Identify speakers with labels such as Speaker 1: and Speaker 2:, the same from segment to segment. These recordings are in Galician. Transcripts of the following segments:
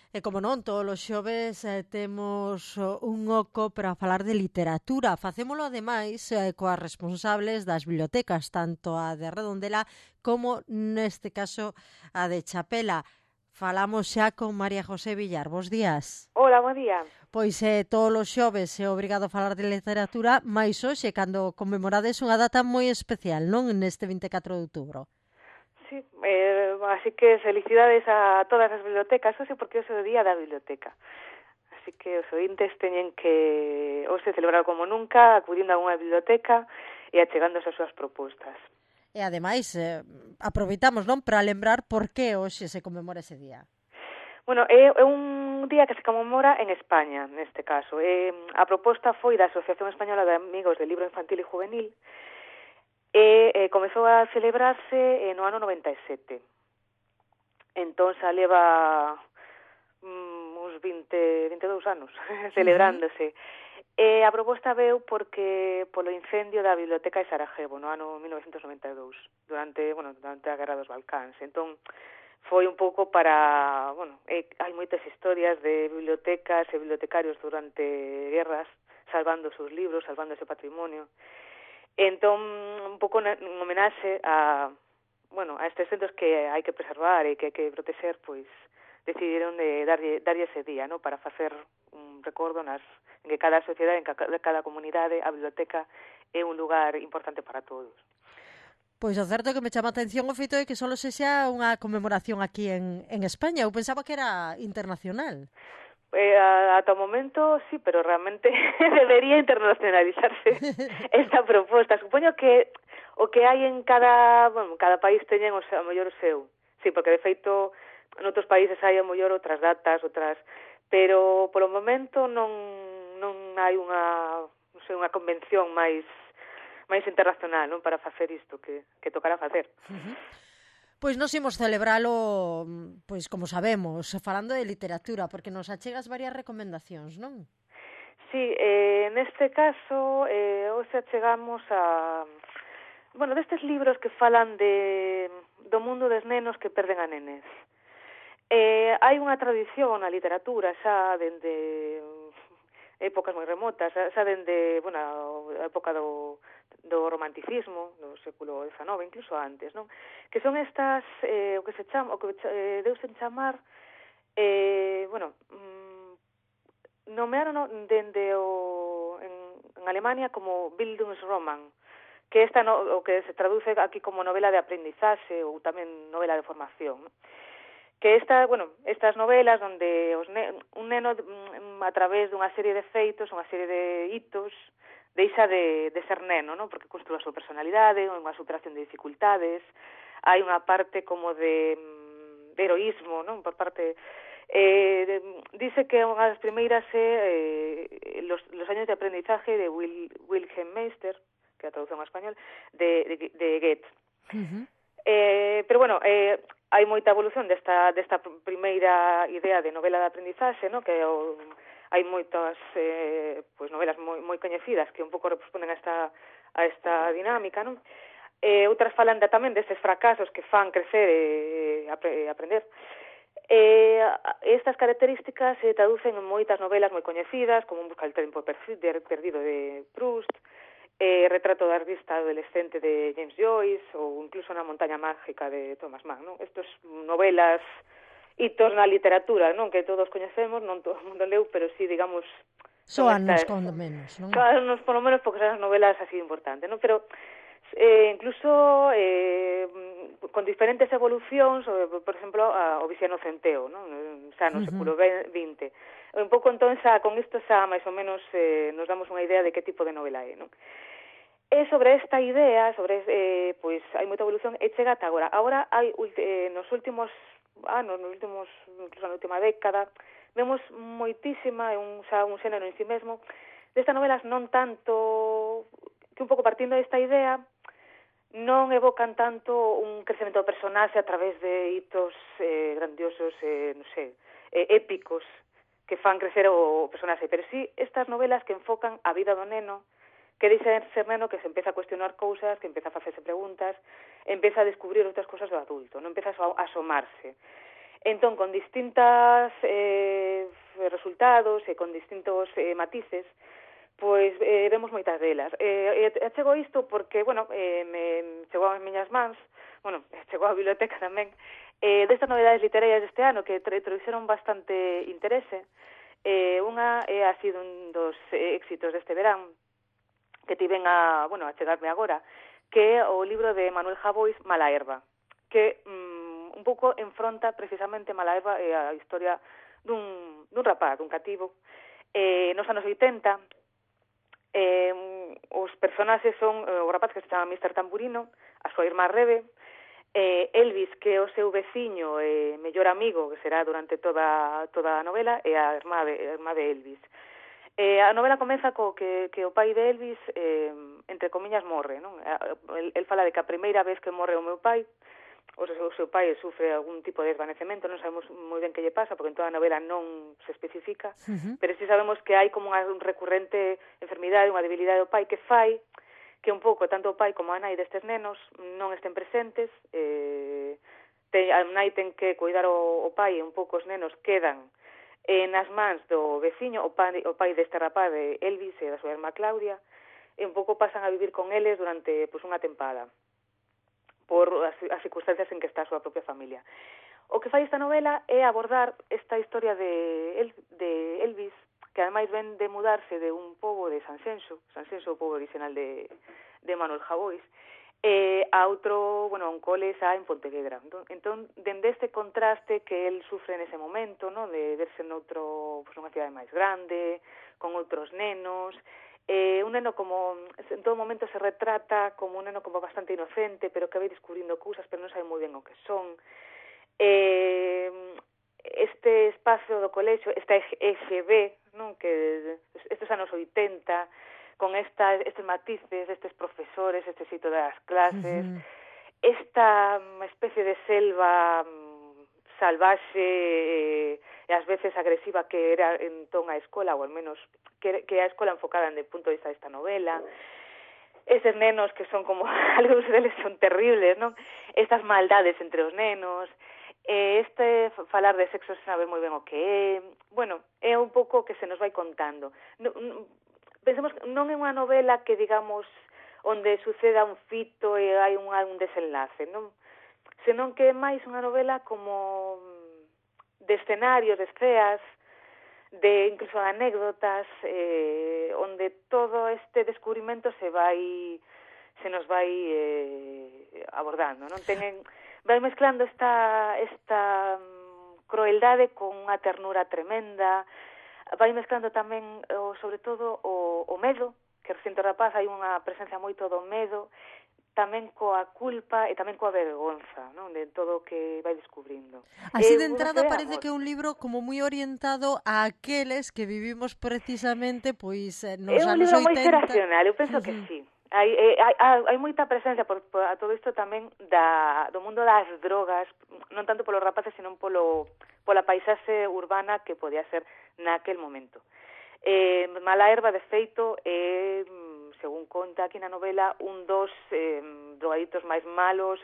Speaker 1: E como non, todos os xoves temos un oco para falar de literatura. Facémolo ademais coas responsables das bibliotecas, tanto a de Redondela como neste caso a de Chapela. Falamos xa con María José Villar. Bos días.
Speaker 2: Hola, buen día.
Speaker 1: Pois todos os xoves é obrigado a falar de literatura, mais hoxe, cando conmemorades unha data moi especial, non? Neste 24 de outubro.
Speaker 2: Sí, así que felicidades a todas as bibliotecas, hoxe porque hoxe é o día da biblioteca. Así que os ointes teñen que hoxe celebrar como nunca, acudindo a unha biblioteca e achegándose as súas propostas.
Speaker 1: E ademais, aproveitamos, non, para lembrar por que hoxe se conmemora ese día.
Speaker 2: Bueno, é un día que se conmemora en España, neste caso. A proposta foi da Asociación Española de Amigos del Libro Infantil e Juvenil e comezou a celebrarse no ano 97. Entón xa leva uns 22 anos celebrándose. A proposta veu porque polo incendio da biblioteca de Sarajevo no ano 1992, durante a Guerra dos Balcáns. Entón, foi un pouco para, hai moitas historias de bibliotecas e bibliotecarios durante guerras, salvando os seus libros, salvando ese patrimonio. Entón, un pouco en homenaxe a estes centros que hai que preservar e que hai que proteger, pois decidiron de darlle ese día, ¿no? Para facer un recordo en que cada sociedade, en cada comunidade, a biblioteca é un lugar importante para todos.
Speaker 1: Pois o certo que me chama a atención o feito de que só sexa unha conmemoración aquí en España. Eu pensaba que era internacional.
Speaker 2: Ata o momento, sí, pero realmente debería internacionalizarse esta proposta. Supoño que o que hai en cada país teñen o mellor o seu. Sí, porque de feito noutros países hai a mellor outras datas, pero polo momento non hai unha convención máis internacional, non, para facer isto que tocará facer.
Speaker 1: Pois nos imos celebralo, pois como sabemos, falando de literatura, porque nos achegas varias recomendacións, non?
Speaker 2: Sí, neste caso, hoxe achegamos destes libros que falan do mundo dos nenos que perden a nenes. Hai unha tradición na literatura xa dende épocas moi remotas, xa dende a época do romanticismo, do século XIX, incluso antes, non? Que son estas, o que deuse en chamar, nomearon dende en Alemania como Bildungsroman, que o que se traduce aquí como novela de aprendizaxe ou tamén novela de formación, non? Que estas novelas onde un neno a través dunha serie de feitos, unha serie de hitos, deixa de ser neno, non? Porque construa a súa personalidade, unha superación de dificultades, hai unha parte como de heroísmo, non? Por parte dice que unha das primeiras é los años de aprendizaje de Wilhelm Meister, que é a traducción ao español, de Goethe. Pero hai moita evolución desta primeira idea de novela de aprendizaxe, no? Que hai moitas novelas moi coñecidas que un pouco responden a esta dinámica, non? Outras falan tamén destes fracasos que fan crecer e aprender. Estas características se traducen en moitas novelas moi coñecidas, como En busca del tempo perdido de Proust, Retrato da artista adolescente de James Joyce ou incluso Na montaña mágica de Thomas Mann, non? Estas novelas hitos na literatura, non? Que todos coñecemos, non todo o mundo leu, pero sí, digamos,
Speaker 1: Soanos con menos, non?
Speaker 2: Soanos por lo menos porque son as novelas así importantes, non? Pero incluso con diferentes evolucións, por exemplo, o Viciano Centeo, non? Xa no século XX. Un pouco entón xa con isto xa máis ou menos nos damos unha idea de que tipo de novela é, non? E sobre esta idea, pois hai moita evolución e chega ata agora. Agora hai nos últimos anos, incluso na última década, vemos moitísima, un xénero en si mesmo, destas novelas non tanto, que un pouco partindo desta idea, non evocan tanto un crecemento do personaxe a través de hitos grandiosos, épicos, que fan crecer o personaxe, pero sí estas novelas que enfocan a vida do neno, que deixa de ser neno, que se empeza a cuestionar cousas, que empeza a facerse preguntas, empeza a descubrir outras cousas do adulto, non empeza a asomarse. Entón, con distintas resultados e con distintos matices, pois vemos moitas delas. Chego isto porque, bueno, me chegou ás miñas mans, bueno, chegou á biblioteca tamén, destas novedades literarias deste ano que trouxeron bastante interese. Unha ha sido un dos éxitos deste verán, que tiven a chegarme agora, que é o libro de Manuel Javois, Mala Herba, que un pouco enfronta precisamente Mala Herba e a historia dun rapaz, dun cativo, nos anos 80. Os personaxes son o rapaz que se chama Mr. Tamburino, a súa irmá Rebe, Elvis, que é o seu veciño e mellor amigo, que será durante toda a novela, e a irmá de Elvis. A novela comeza co que o pai de Elvis, entre comiñas, morre, non? El fala de que a primeira vez que morre o meu pai, o seu pai sufre algún tipo de desvanecemento, non sabemos moi ben que lle pasa, porque en toda a novela non se especifica, pero sí sabemos que hai como unha recurrente enfermidade, unha debilidade do pai que fai que un pouco tanto o pai como a nai destes nenos non estén presentes, a nai ten que cuidar o pai e un pouco os nenos quedan nas mans do veciño, o pai deste rapaz de Elvis e da súa irmá Claudia, e un pouco pasan a vivir con eles durante unha tempada por as circunstancias en que está a súa propia familia. O que fai esta novela é abordar esta historia de Elvis, que ademais ven de mudarse de un pobo de Sanxenxo, o pobo original de Manuel Javois, a outro, un cole xa en Pontevedra. Entón, dende este contraste que el sufre nese momento, no, de verse nunha cidade máis grande, con outros nenos, un neno como, en todo momento se retrata como un neno como bastante inocente, pero que vai descubrindo cousas, pero non sabe moi ben o que son. Este espazo do colexio, esta EGB, non, que estes anos 80, con estes matices, estes profesores, este xeito das clases, esta especie de selva salvaxe e ás veces agresiva que era entón a escola, ou al menos que a escola enfocada en el punto de vista desta novela, eses nenos que son como, algúns deles son terribles, non? Estas maldades entre os nenos, falar de sexo sen saber moi ben o que é, é un pouco que se nos vai contando. Pensemos que non é unha novela que, digamos, onde suceda un fito e hai un desenlace, non? Senón que é máis unha novela como de escenarios, de esceas, de incluso anécdotas, onde todo este descubrimento se nos vai abordando, non? Vai mezclando esta crueldade con unha ternura tremenda, vai mezclando tamén, sobre todo, o medo, que reciente o rapaz hai unha presencia moito do medo, tamén coa culpa e tamén coa vergonza, non, de todo o que vai descubrindo.
Speaker 1: Así de entrada parece que é un libro como moi orientado a aqueles que vivimos precisamente nos anos 80.
Speaker 2: É un libro moi xeracional, eu penso que sí. Hai moita presencia a todo isto tamén do mundo das drogas, non tanto polos rapaces, senón pola paisaxe urbana que podía ser naquel momento. Mala Herba, de feito, según conta aquí na novela, un dos drogaditos máis malos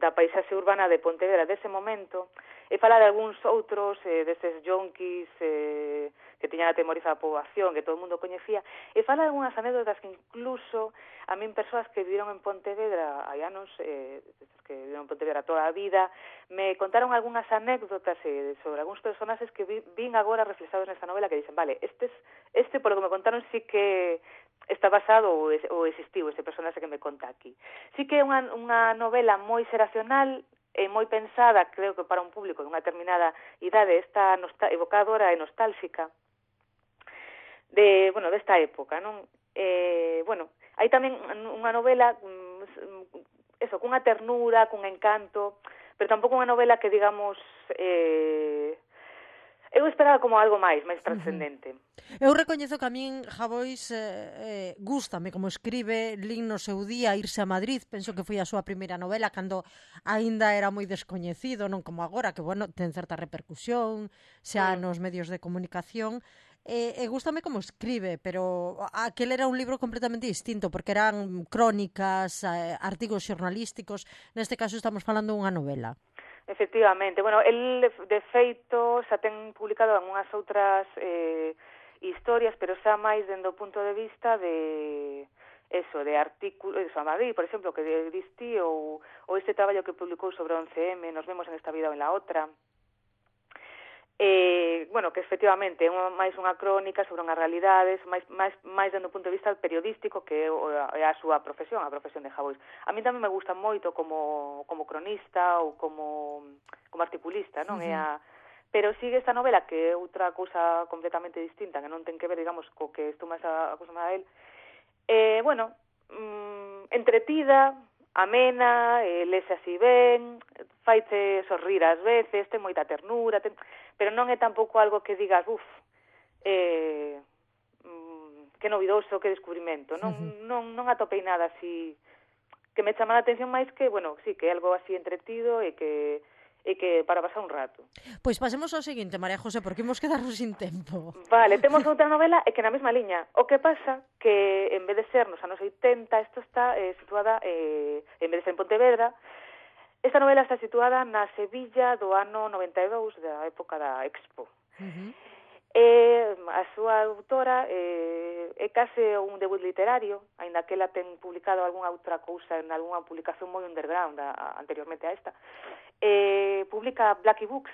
Speaker 2: da paisaxe urbana de Pontevedra dese momento, e fala de algúns outros deses yonkis que tiñan atemorizada a poboación, que todo o mundo coñecía, e fala de algunhas anécdotas que incluso a min persoas que viviron en Pontevedra hai anos, que viviron en Pontevedra toda a vida, me contaron algunhas anécdotas sobre algúns personaxes que vin agora reflexados nesta novela, que dicen, vale, este polo que me contaron sí que está basado ou existiu este personaxe que me conta aquí. Sí que é unha novela moi xeracional, é moi pensada, creo que para un público de unha determinada idade, esta evocadora e nostálxica desta época, non? Hai tamén unha novela cunha ternura, cun encanto, pero tampouco unha novela que, digamos, eu esperaba como algo máis trascendente.
Speaker 1: Eu recoñezo que a min Javois gústame como escribe, lin no seu día Irse a Madrid, penso que foi a súa primeira novela cando aínda era moi descoñecido, non como agora, que, ten certa repercusión xa nos medios de comunicación. Gústame como escribe, pero aquel era un libro completamente distinto, porque eran crónicas, artigos xornalísticos. Neste caso estamos falando dunha novela.
Speaker 2: Efectivamente. Bueno, el de feito xa ten publicado algunhas outras historias, pero xa máis dende o punto de vista de eso, de artículos, eso, a Madrid, por exemplo, que diste, ou este traballo que publicou sobre o 11M, Nos vemos en esta vida ou en la otra. Bueno, que efectivamente é máis unha crónica sobre unhas realidades, máis dende o punto de vista periodístico, que é a súa profesión, a profesión de Javois. A mí tamén me gusta moito como cronista ou como articulista, non? Pero sigue esta novela, que é outra cousa completamente distinta, que non ten que ver, digamos, co que estou máis acostumada a él. Bueno, entretida, amena, lese así ben, faite sorrir ás veces, ten moita ternura, pero non é tampouco algo que digas, que novidoso, que descubrimento, non atopei nada así que me chama a atención máis que, bueno, sí, que é algo así entretido e que para pasar un rato.
Speaker 1: Pois pasemos ao seguinte, María José, porque imos quedarnos sin tempo.
Speaker 2: Vale, temos outra novela e que na mesma liña. O que pasa que en vez de ser nos anos 80, isto está situada, en vez de ser en Pontevedra, esta novela está situada na Sevilla do ano 92, da época da Expo. A súa autora é case un debut literario, aínda que ela ten publicado algunha outra cousa en algunha publicación moi underground anteriormente a esta. Publica Blackie Books,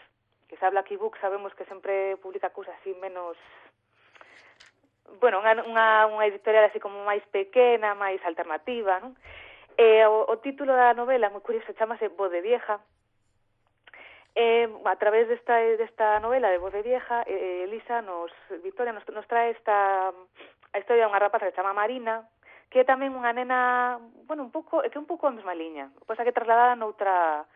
Speaker 2: que xa Blackie Books sabemos que sempre publica cousas así menos, bueno, unha editorial así como máis pequena, máis alternativa, non? O título da novela, moi curioso, chamase Voz de Vieja. A través desta novela de Voz de Vieja, Victoria nos trae a historia de unha rapaza que se chama Marina, que é tamén unha nena, bueno, un pouco a mesma liña, pois que trasladada noutra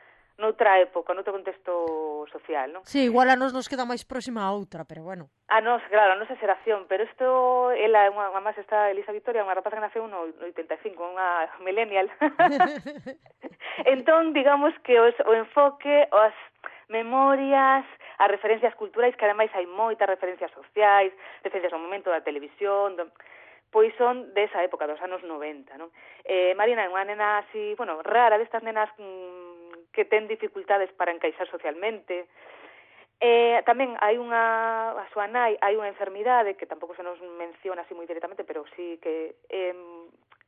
Speaker 2: época, noutro contexto social, non?
Speaker 1: Sí, igual a nos queda máis próxima a outra, pero bueno.
Speaker 2: A nos, claro, a nosa xeración, pero isto, ela, además, esta Elisa Victoria, unha rapaza que naceu no 85, unha millennial. Entón, digamos que o enfoque, as memorias, as referencias culturais, que ademais hai moitas referencias sociais, referencias ao momento da televisión, pois son desa época, dos anos 90, non? Marina é unha nena así, bueno, rara, destas nenas que ten dificultades para encaixar socialmente. Tamén hai a súa nai, hai unha enfermidade que tampouco se nos menciona así moi directamente, pero sí que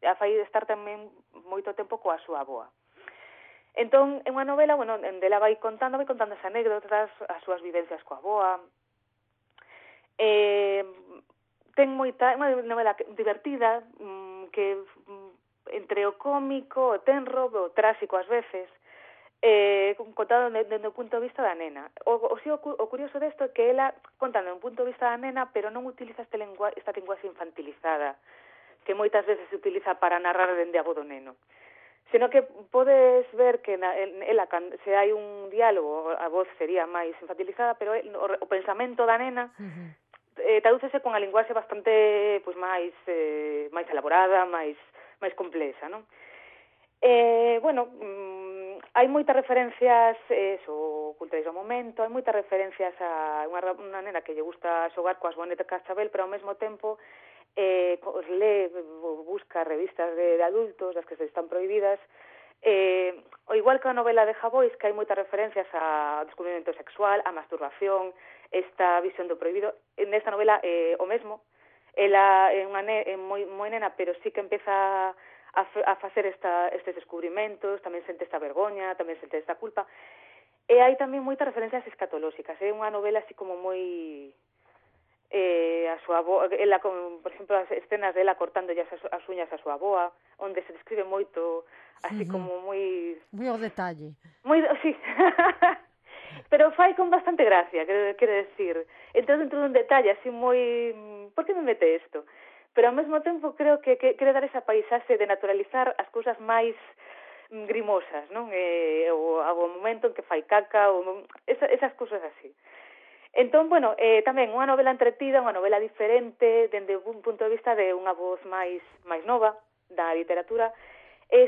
Speaker 2: a fai estar tamén moito tempo coa súa avoa. Entón, é unha novela, bueno, onde ela vai contando as anécdotas, as súas vivencias coa avoa. Ten moita, unha novela divertida, que entre o cómico, o tenro, o tráxico ás veces, contado desde o punto de vista da nena. O curioso desto é que ela, contando desde o punto de vista da nena, pero non utiliza esta linguaxe infantilizada, que moitas veces se utiliza para narrar dende a voz do neno. Sino que podes ver que ela, se hai un diálogo, a voz sería máis infantilizada, pero o pensamento da nena tradúcese con a linguaxe bastante pois máis elaborada, máis complexa, non? Bueno, hai moitas referencias culturais do momento, hai moitas referencias a unha nena que lle gusta xogar coas bonetas Cascabel, pero ao mesmo tempo busca revistas de adultos, das que se están prohibidas, o igual que a novela de Javois, que hai moitas referencias ao descubrimento sexual, a masturbación, esta visión do prohibido. Nesta novela o mesmo, ela é moi nena, pero sí que empeza a facer estes descubrimentos, tamén sente esta vergoña, tamén sente esta culpa. E hai tamén moitas referencias escatolóxicas, é unha novela así como moi a súa avoa, ela, por exemplo, as escenas dela cortando as uñas a súa avoa, onde se describe moito, así como moi
Speaker 1: ao detalle.
Speaker 2: Sí. Pero fai con bastante gracia, quero decir. Entón, dentro dun detalle así moi... Por que me mete isto? Pero ao mesmo tempo creo que quere dar esa paisaxe de naturalizar as cousas máis grimosas, non? O momento en que fai caca, esas cousas así. Entón, bueno, tamén unha novela entretida, unha novela diferente, dende un punto de vista de unha voz máis nova da literatura.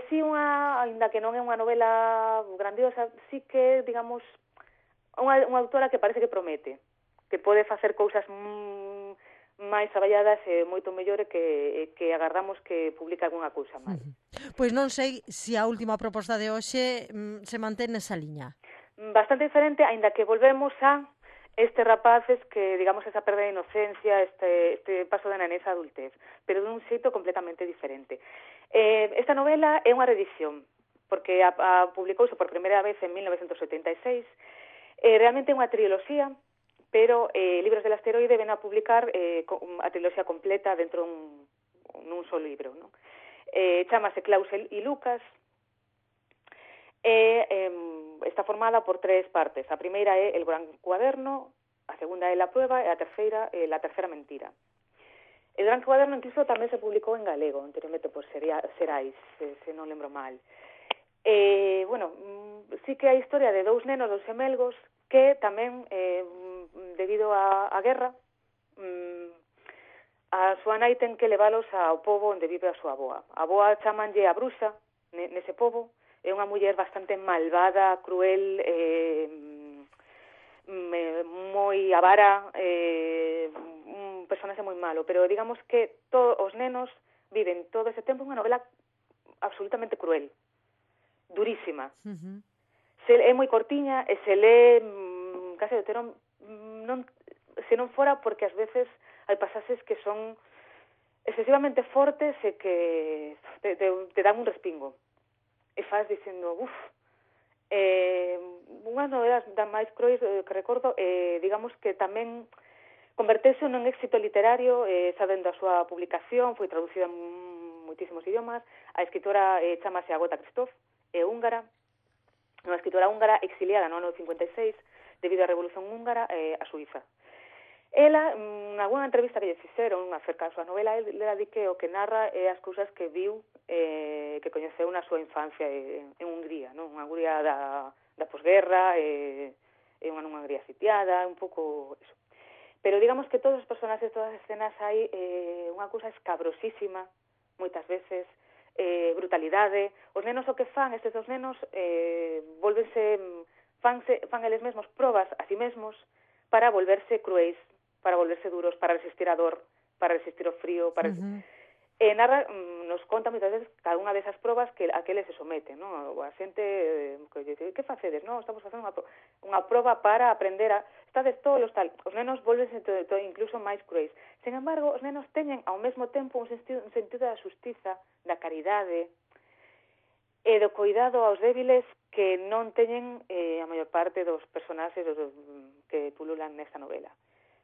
Speaker 2: Si ainda que non é unha novela grandiosa, si que, digamos, unha autora que parece que promete, que pode facer cousas máis traballadas e moito mellor que agardamos que publique algunha cousa máis.
Speaker 1: Pois non sei se a última proposta de hoxe se mantén nesa liña.
Speaker 2: bastante diferente, aínda que volvemos a estes rapaces que, digamos, esa perda de inocencia, este paso da nenez a adultez, pero dun xeito completamente diferente. Esta novela é unha reedición, porque publicouse por primeira vez en 1976, realmente é unha triloxía, pero Libros del Asteroide ven a publicar a triloxía completa dentro nun só libro, non? Chámase Klaus e Lucas, está formada por 3 partes. A primeira é El Gran Cuaderno, a segunda é La Prueba e a terceira é La Tercera Mentira. El Gran Cuaderno incluso tamén se publicou en galego, anteriormente por Serais, se non lembro mal. Bueno, sí que hai historia de 2 nenos, 2 gemelgos, que tamén, debido á guerra, a súa nai ten que leválos ao pobo onde vive a súa avoa. A avoa chamanlle a bruxa nese pobo, é unha muller bastante malvada, cruel, moi avara, un personaxe moi malo, pero digamos que todos os nenos viven todo ese tempo unha novela absolutamente cruel, durísima. É moi cortiña e se lé case de terón, se non fora porque ás veces hai pasaxes que son excesivamente fortes e que te dan un respingo. E faz dicendo, unhas novelas da máis cruéis que recordo, digamos que tamén convertese nun éxito literario, sabendo a súa publicación, foi traducida en moitísimos idiomas. A escritora chamase Agota Christoph, é húngara, unha escritora húngara exiliada no ano 56 debido á Revolución Húngara a Suiza. Ela, nalgúna entrevista que lle fixeron acerca da súa novela, ela di que o que narra é as cousas que viu, que coñeceu na súa infancia en Hungría, non? Unha Hungría da posguerra, unha Hungría sitiada, un pouco eso. Pero digamos que todos os personaxes, todas as escenas, hai unha cousa escabrosísima, moitas veces, brutalidade. Os nenos o que fan, estes dos nenos, fan eles mesmos probas a si mesmos para volverse cruéis, para volverse duros, para resistir a dor, para resistir o frío, para... narra, nos conta moitas veces cada unha desas probas a que eles se someten, non? A xente que dice, que facedes? Non, estamos facendo unha proba para aprender a... Estades tolos, tal. Os nenos volvense incluso máis cruéis. Sen embargo, os nenos teñen ao mesmo tempo un sentido da xustiza, da caridade e do cuidado aos débiles que non teñen a maior parte dos personaxes que pululan nesta novela.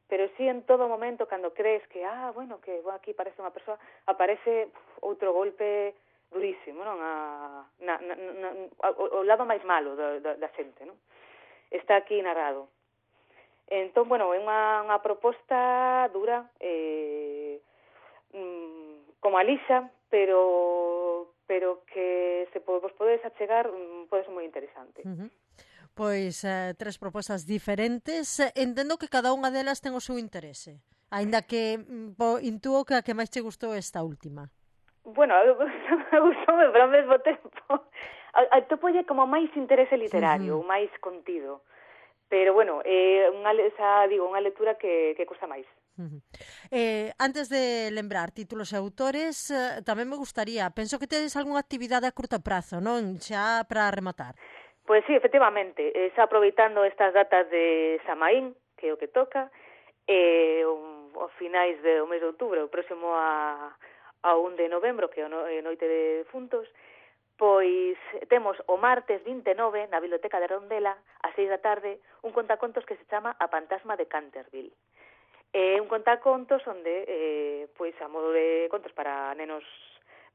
Speaker 2: Pero sí, en todo momento, cando crees que, que aquí parece unha persoa, aparece outro golpe durísimo, non? O lado máis malo da xente, non? Está aquí narrado. Entón, bueno, é unha proposta dura, como a lixa, pero que se vos podedes achegar, pode ser moi interesante.
Speaker 1: Pois 3 propostas diferentes. Entendo que cada unha delas ten o seu interese, aínda que intúo que a que máis che gustou esta última.
Speaker 2: Bueno, gustoume, pero ao mesmo tempo atopolle como máis interese literario, máis contido. Pero bueno, unha lectura que custa máis.
Speaker 1: Antes de lembrar títulos e autores, tamén me gustaría, penso que tedes algunha actividade a curto prazo, non? Xa para rematar.
Speaker 2: Pois sí, efectivamente, xa aproveitando estas datas de Samaín, que é o que toca, os finais do mes de outubro, o próximo a 1 de novembro, que é Noite de Defuntos, pois temos o martes 29 na Biblioteca de Rondela, ás 6 da tarde, un contacontos que se chama A Fantasma de Canterville. É un contacontos onde, pois a modo de contos para nenos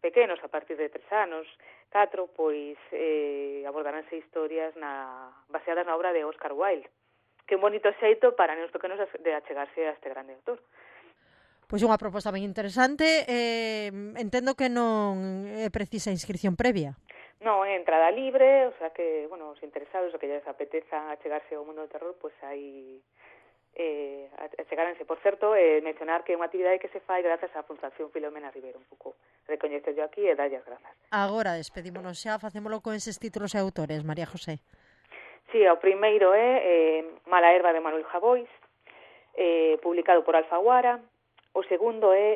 Speaker 2: pequenos, a partir de 3 anos, 4, pois abordaránse historias baseadas na obra de Oscar Wilde, que é un bonito xeito para nenos pequenos de achegarse a este grande autor.
Speaker 1: Pois unha proposta ben interesante. Entendo que non é precisa inscripción previa.
Speaker 2: Non, é entrada libre, o sea que, bueno, os interesados, o que lles apeteza achegarse ao mundo do terror, pois aí achegáranse. Por certo, mencionar que é unha actividade que se fai grazas á Fundación Filomena Rivero, un pouco recoñecerlo aquí e dalle as grazas.
Speaker 1: Agora despedímonos xa, facémolo con eses títulos e autores, María José.
Speaker 2: Sí, o primeiro é Mala herba de Manuel Javois, publicado por Alfaguara. O segundo é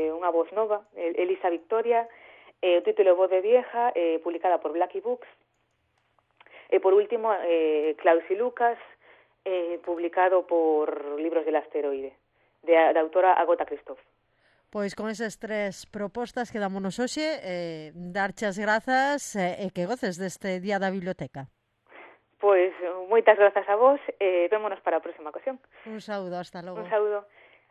Speaker 2: unha voz nova, Elisa Victoria, o título Voz de Vieja, publicada por Blackie Books. E por último, Klaus y Lucas, publicado por Libros del Asteroide, da autora Agota Christoph.
Speaker 1: Pois con esas tres propostas quedámonos hoxe, darche as grazas e que goces deste Día da Biblioteca.
Speaker 2: Pois moitas grazas a vos e vémonos para a próxima ocasión.
Speaker 1: Un saúdo, hasta logo.
Speaker 2: Un saúdo.